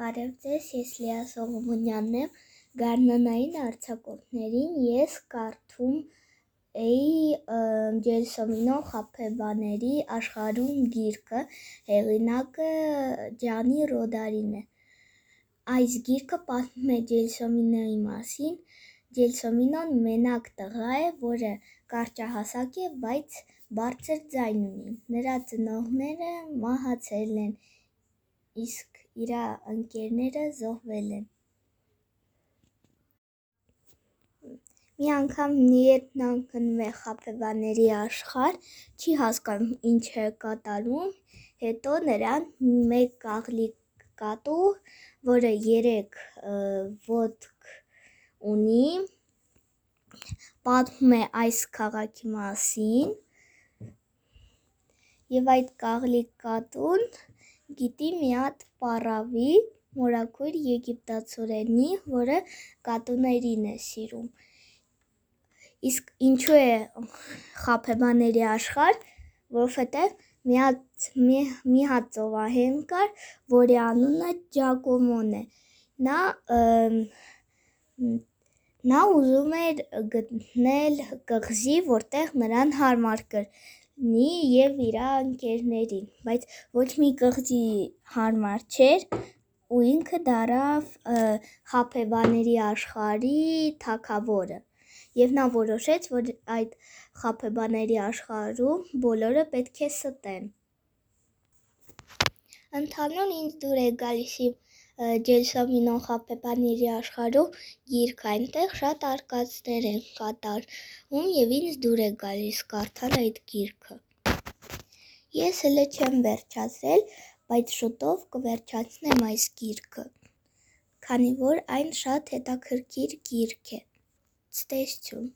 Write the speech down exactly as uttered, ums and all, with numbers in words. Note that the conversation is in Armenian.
Բարև ձեզ, ես Լիա Սողոմոնյանն եմ, գարնանային արձակուրդներին ես կարդում էի Ջելսոմինո Խաբեբաների աշխարհում գիրքը, հեղինակը Ջանի Ռոդարին է։ Այս գիրքը պատմում է Ջելսոմինոյի մասին։ Ջելսոմինոն մենակ տղա է, որը կարճահասակ է, բայց բարձր ձայն ունի։ Նրա ծնողները մահացել են, իսկ իր ընկերները զոհվել են։ Մի անգամ երբ նա ընկնում է Խաբեբաների աշխարհ, չի հասկանում ինչ է կատարվում, հետո նրան մեկ կաղլիկ կատու, որը երեք ոտք ունի, պատմում է այս քաղաքի մասին, և այդ կաղլիկ կատուն գիտի մի հատ պառավի, մորաքույր եգիպտացորենի, որը կատուներին է սիրում։ Իսկ ինչու է Խաբեբաների աշխարհ, որովհետև մի հատ մի հատ ծովահեն կար, որի անունը Ջակոմոն է։ Նա նա ուզում էր գտնել կղզի, որտեղ նրան հարմար կլինի և իր ընկերներին, բայց ոչ մի կղզի հարմար չէր, ու ինքը դառավ Խաբեբաների աշխարհի թագավորը, և նա որոշեց, որ այդ Խաբեբաների աշխարհում բոլորը պետք է ստեն։ Ընդհանուր ինձ դուր է գալիս իմ Ջելսոմինո Խաբեբաների աշխարհում գիրքը, այնտեղ շատ արկածներ են կատարվում և ինձ դուր է գալիս կարդալ այդ գիրքը։ Ես հլը չեմ վերջացրել, բայց շուտով կվերջացնեմ այս գիրքը, քանի որ այն շատ հետաքրքիր գիրք է։ Ցտեսություն։